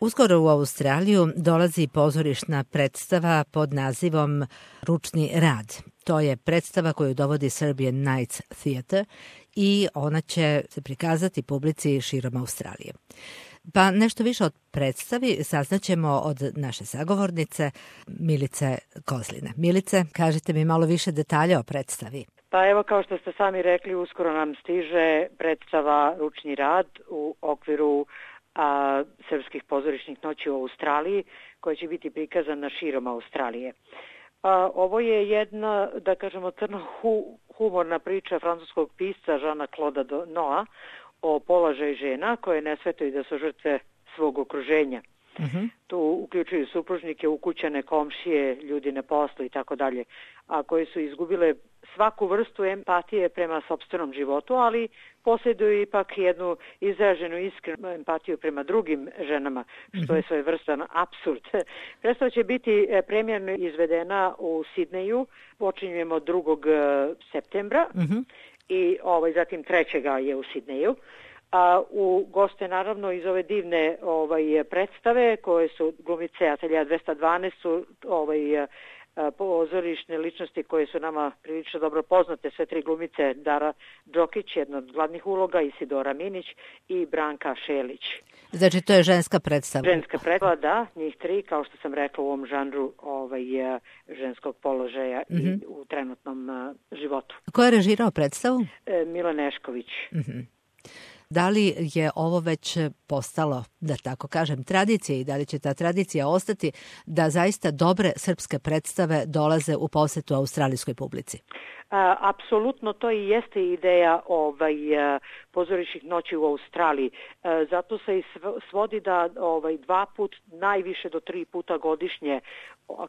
Uskoro u Australiju dolazi pozorišna predstava pod nazivom Ručni rad. To je predstava koju dovodi Serbian Nights Theatre i ona će se prikazati publici širom Australije. Pa nešto više od predstavi saznaćemo od naše sagovornice Milice Kozline. Milice, kažite mi malo više detalja o predstavi. Pa evo, kao što ste sami rekli, uskoro nam stiže predstava Ručni rad u okviru srpskih pozorišnih noći u Australiji, koja će biti prikazana širom Australije. Ovo je jedna, da kažemo, crno-humorna priča francuskog pisca Žana Kloda Noa o položaju žena koje ne svetaju da su žrtve svog okruženja. Tu uključuju supružnike, ukućane, komšije, ljudi na poslu i tako dalje, a koje su izgubile svaku vrstu empatije prema sopstvenom životu, ali posjeduju ipak jednu izraženu iskrenu empatiju prema drugim ženama, što je svojevrstan apsurd. Predstava će biti premijerno izvedena u Sidneju, počinjemo 2. septembra i zatim 3. je u Sidneju. U goste naravno iz ove divne predstave koje su glumice Atelja 212 su pozorišne ličnosti koje su nama prilično dobro poznate, sve tri glumice, Dara Đokić, jedna od glavnih uloga, Isidora Minić i Branka Šelić. Znači to je ženska predstava? Ženska predstava, da, njih tri, kao što sam rekla, u ovom žanru ženskog položaja i u trenutnom životu. Ko je režirao predstavu? Mila Nešković. Da li je ovo već postalo, da tako kažem, tradicija i da li će ta tradicija ostati da zaista dobre srpske predstave dolaze u posetu australijskoj publici? Apsolutno, to i jeste ideja pozorišnih noći u Australiji. Zato se i svodi da 2 put, najviše do 3 puta godišnje,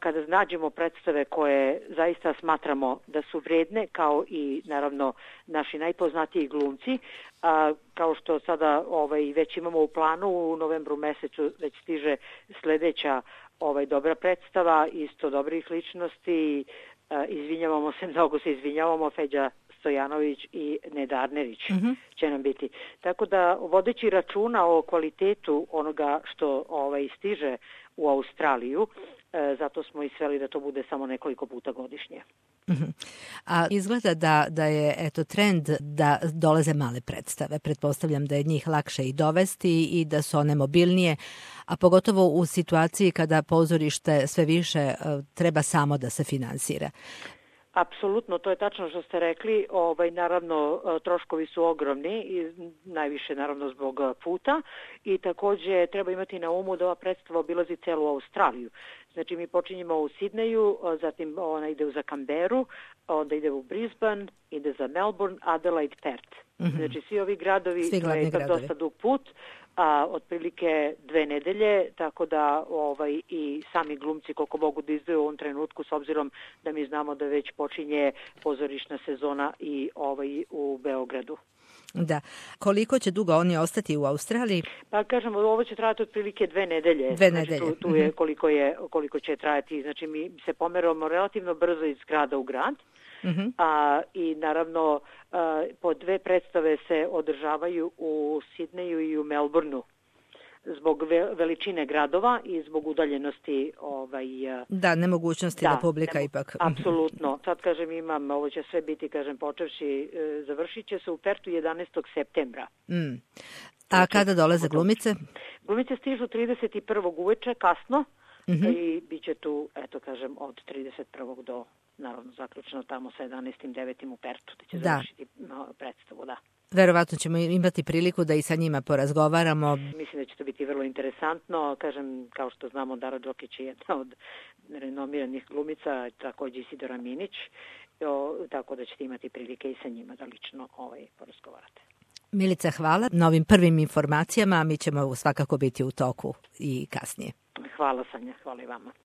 kada nađemo predstave koje zaista smatramo da su vredne, kao i naravno naši najpoznatiji glumci, kao što sada već imamo u planu, u novembru mesecu već stiže sledeća dobra predstava, isto dobrih ličnosti. Mnogo se izvinjavamo, Feđa Stojanović i Neda Arnerić će nam biti. Tako da, vodeći računa o kvalitetu onoga što stiže u Australiju, zato smo i sveli da to bude samo nekoliko puta godišnje. A izgleda da je trend da dolaze male predstave. Pretpostavljam da je njih lakše i dovesti i da su one mobilnije, a pogotovo u situaciji kada pozorište sve više treba samo da se finansira. Apsolutno, to je tačno što ste rekli. Naravno, troškovi su ogromni i najviše naravno zbog puta i takođe treba imati na umu da ova predstava obilazi celu Australiju. Znači, mi počinjemo u Sidneju, zatim ona ide za Canberru, onda ide u Brisbane, ide za Melbourne, Adelaide, Perth. Znači, svi ovi gradovi, to je dosta dug put, otprilike 2 nedelje, tako da i sami glumci koliko mogu da izdaju u ovom trenutku, s obzirom da mi znamo da već počinje pozorišna sezona i u Beogradu. Da. Koliko će dugo oni ostati u Australiji? Pa kažemo, ovo će trajati otprilike 2 nedelje. 2 nedelje. Znači, tu je koliko će trajati. Znači, mi se pomeramo relativno brzo iz grada u grad. I naravno po 2 predstave se održavaju u Sidneju i u Melbourneu zbog veličine gradova i zbog udaljenosti nemogućnosti da publika ipak. Apsolutno. Sad kažem ovo će sve biti, počevši, završit će se u Pertu 11. septembra. A kada dolaze glumice? Glumice stižu 31. uveče, kasno, i bit će tu, od 31. do naravno zaključno tamo sa 11.9. u Pertu, da će završiti predstavu, da. Verovatno ćemo imati priliku da i sa njima porazgovaramo. Mislim da će to biti vrlo interesantno. Kažem, kao što znamo, Dara Đokić je jedna od renomiranih glumica, takođe Isidora Minić, tako da ćete imati prilike i sa njima da lično porazgovarate. Milica, hvala na ovim prvim informacijama, a mi ćemo svakako biti u toku i kasnije. Hvala, Sanja, hvala i vama.